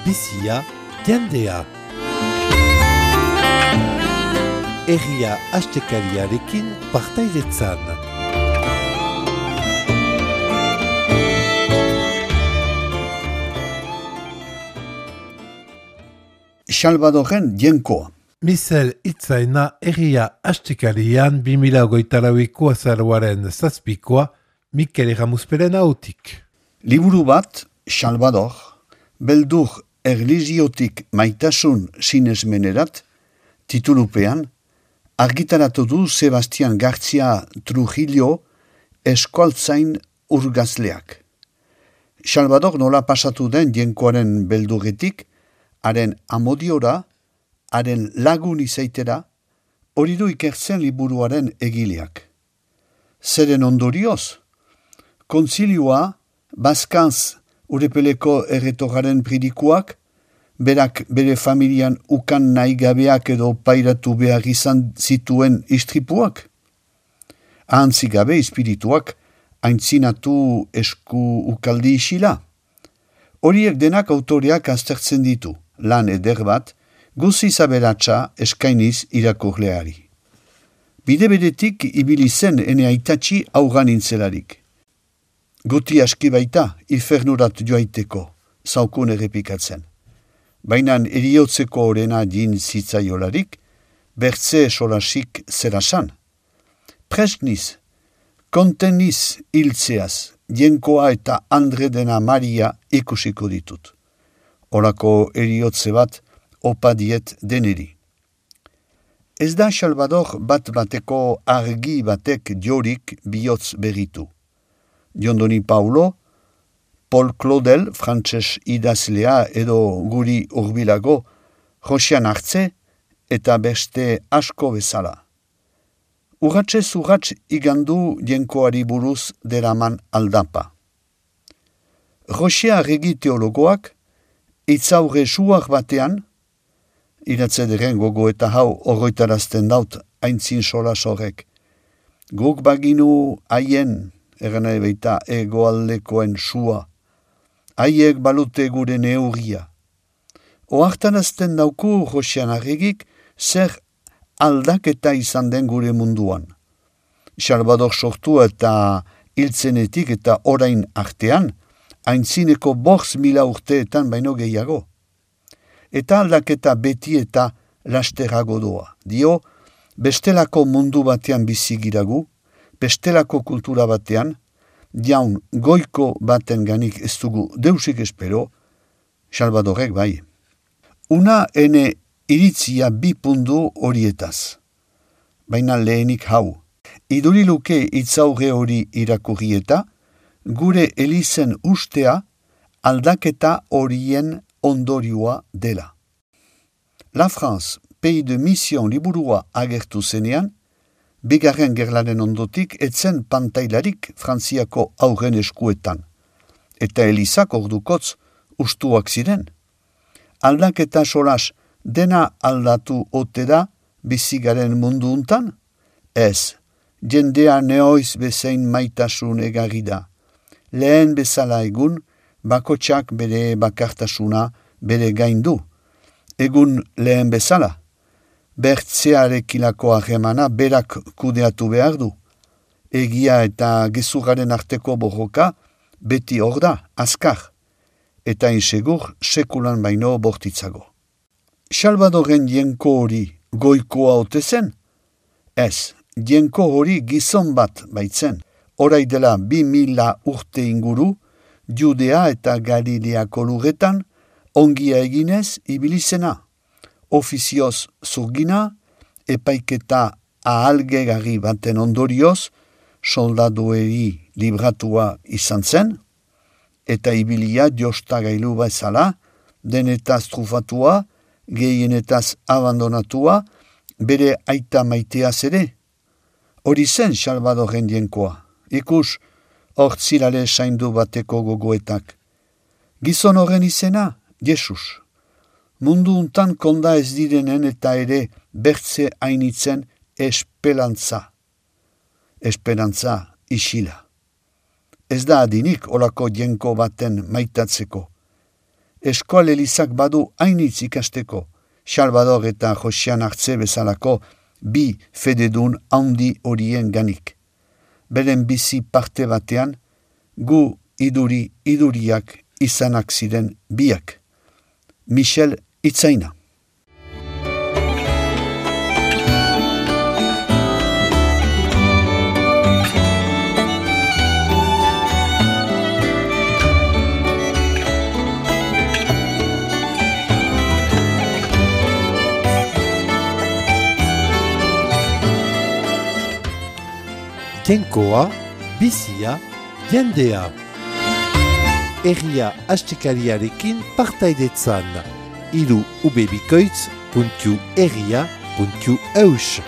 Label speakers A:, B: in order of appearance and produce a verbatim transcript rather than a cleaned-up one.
A: bizia, jendea. Herria astekariarekin partaidetzan.
B: Salvadorren jenkoa.
A: Mizel itzaina herria astekarian bi mila hogeita laueko azaroaren zazpikoa Mikel Erramusperen hautik.
B: Liburu bat, Salvador, beldur erlijiotik maitasun sinesmenerat, titulupean, argitaratu du Sebastian García Trujillo eskualtzain urgazleak. Salvador nola pasatu den jenkoaren beldurretik, haren amodiora, haren lagun izaitera, hori du ikertzen liburuaren egileak. Zeren ondorioz, konzilioa, Bazkantz urepeleko erretoraren pridikuak, berak bere familian ukan nahi gabeak edo pairatu behar izan zituen istripuak, ahantzi gabe espirituak aintzinatu esku ukaldi isila. Horiek denak autoreak aztertzen ditu, lan eder bat, guzi zaberatsa eskainiz irakurleari. Bide beretik ibili zen ene aitatxi augan intzelarik. Guti aski baita, infernurat joaiteko, zaukun errepikatzen. Bainan eriotzeko orena din zitzaiolarik, bertze solasik zerasan. Presniz, konteniz hiltzeaz, jenkoa eta Andre dena Maria ikusiko ditut. Horako eriotze bat opa diet deneri. Ez da Salvador bat bateko argi batek jorik bihotz berritu. Jondoni Paulo, Paul Claudel, frantses idazlea edo guri urbilago, Josean Artze eta beste asko bezala. Urratxez urratx igandu jenkoari buruz deraman aldapa. Josea Regi teologoak, itzaurre suak batean, iratzederen gogo eta hau horroitarazten daut aintzin solas horrek. Guk baginu haien, eran ebeita egoaldekoen sua, haiek balute gure neurria. Oartarazten dauku Josean Arregik zer aldaketa izan den gure munduan. Salvador sortu eta hiltzenetik eta orain artean, aintzineko bortz mila urteetan baino gehiago. Eta aldaketa beti eta lasterago doa. Dio, bestelako mundu batean bizigiragu, bestelako kultura batean, jaun goiko baten ganik ez dugu deusik espero, Salvadorek bai. Una ene iritzia bi pundu horietaz. Baina lehenik hau. Iduriluke itzaurre hori irakurri eta, gure elizen ustea aldaketa horien ondorioa dela. La France, Pays de Mission liburua agertu zenean, bigarren gerlaren ondotik etzen pantailarik Frantziako aurren eskuetan, eta elizak ordukotz ustuak ziren. Aldaketa solas dena aldatu ote da bizigaren mundu untan? Ez, jendea neoiz bezain maitasun egarri da. Lehen bezala egun, bakotxak bere bakartasuna bere gaindu. Egun lehen bezala, bertzearekilako harremana berak kudeatu behar du. Egia eta gezurraren arteko borroka beti hor da, azkar, eta insegur sekulan baino bortitzago. Salvadorren jenko hori goikoa ote zen? Ez, jenko hori gizon bat baitzen. Horai dela bi mila urte inguru, Judea eta Galileako lurretan, ongia eginez ibilizena. Ofizioz zurgina, epaiketa ahalgegarri baten ondorioz, soldadueri libratua izan zen, eta ibilia jostagailu bezala, denetaz trufatua, gehienetaz abandonatua, bere aita maiteaz ere. Hori zen Salvadorren jenkoa. Ikus, hortzilale saindu bateko gogoetak. Gizon horren izena, Jesus. Mundu untan konda ez direnen eta ere bertze hainitzen esperantza. Esperantza isila. Ez da adinik olako jenko baten maitatzeko. Eskoal Elizak badu hainitz ikasteko, Salvador eta Josian Artze bezalako bi fededun handi horien ganik. Beren bizi parte batean, gu iduri iduriak izanak ziren biak. Michel Itzaina.
A: Jainkoa, bizia, jendea. Herria astekariarekin partaidetzan. Iru ubebikoitz puntu herria puntu eus.